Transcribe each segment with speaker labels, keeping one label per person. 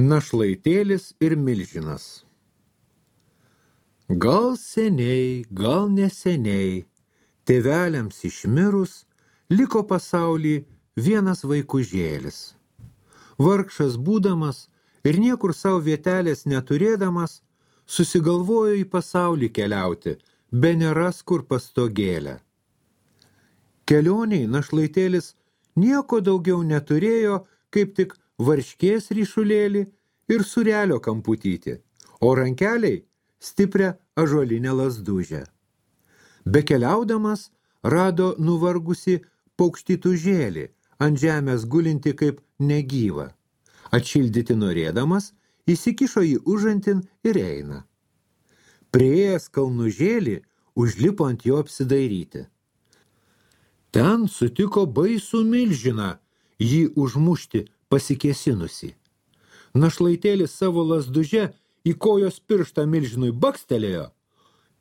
Speaker 1: Našlaitėlis ir milžinas. Gal seniai, gal neseniai, tėveliams išmirus, liko pasaulį vienas vaikužėlis. Vargšas būdamas ir niekur savo vietelės neturėdamas, susigalvojo į pasaulį keliauti, be neras kur pastogėlę. Kelioniai našlaitėlis nieko daugiau neturėjo, kaip tik varškės ryšulėlį ir surelio kamputytį, o rankeliai stiprią ąžuolinę lazdužę. Bekeliaudamas rado nuvargusi paukštytužėlį, ant žemės gulinti kaip negyva. Atšildyti norėdamas, įsikišo jį užantin ir eina. Priėjęs kalnužėlį, užlipo ant jo apsidairyti. Ten sutiko baisų milžiną, jį užmušti pasikėsinusi. Našlaitėlis savo lazduže į kojos pirštą milžinui bakstelėjo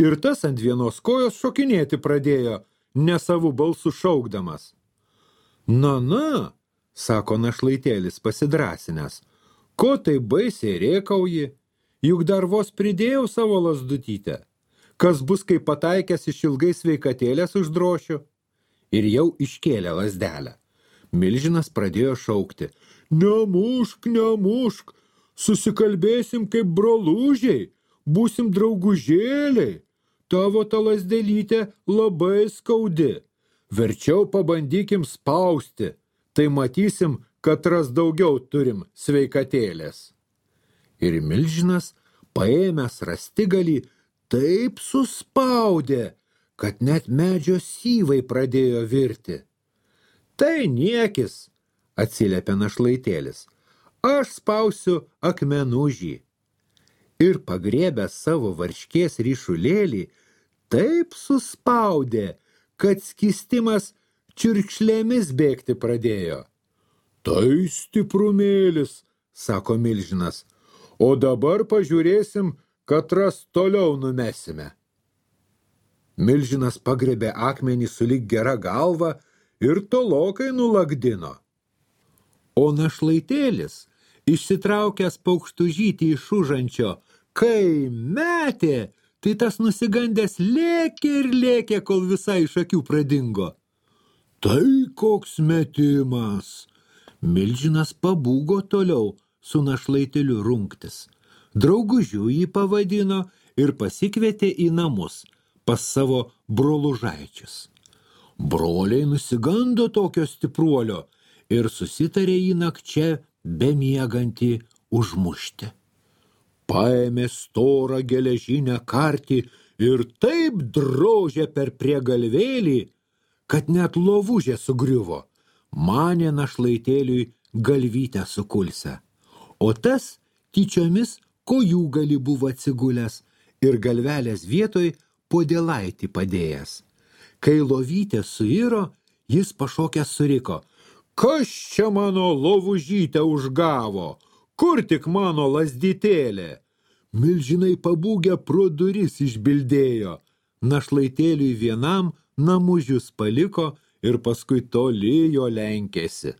Speaker 1: ir tas ant vienos kojos šokinėti pradėjo, nesavų balsų šaukdamas. Na, sako našlaitėlis pasidrąsinęs, ko tai baisiai rėkauji, juk dar vos pridėjau savo lazdutytę. Kas bus, kai pataikęs iš ilgai sveikatėlės uždrošiu? Ir jau iškėlė lazdelę. Milžinas pradėjo šaukti. Nemušk, susikalbėsim kaip brolužiai, būsim draugužėliai. Tavo ta lazdelytė labai skaudi. Verčiau pabandykim spausti, tai matysim, kad ras daugiau turim sveikatėlės. Ir milžinas, paėmęs rastigalį, taip suspaudė, kad net medžio syvai pradėjo virti. Tai niekis, atsiliepė našlaitėlis, aš spausiu akmenužį. Ir pagriebęs savo varškės ryšulėlį, taip suspaudė, kad skistimas čiurkšlėmis bėgti pradėjo. Tai stiprumėlis, sako milžinas, o dabar pažiūrėsim, katras toliau numesime. Milžinas pagrebė akmenį sulig gera galva ir tolokai nulagdino. O našlaitėlis, išsitraukęs paukštužytį iš užančio, kai metė, tai tas nusigandęs lėkė, kol visai iš akių pradingo. Tai koks metimas! Milžinas pabūgo toliau su našlaitėliu rungtis. Draugužiu jį pavadino ir pasikvietė į namus pas savo brolužaičius. Broliai nusigando tokio stipruolio ir susitarė jį nakčia bemiegantį užmušti. Paėmė storą geležinę kartį ir taip drožė per priegalvėlį, kad net lovužė sugriuvo. Manė našlaitėliui galvytę sukulsę, o tas tyčiomis kojų gali buvo atsigulęs ir galvelės vietoj podėlaitį padėjęs. Kai lovytė suiro, jis pašokęs suriko. Kas čia mano lovužytę užgavo? Kur tik mano lazdytėlė? Milžinai pabūgę pro duris išbildėjo. Našlaitėliui vienam namužius paliko ir paskui toli jo lenkėsi.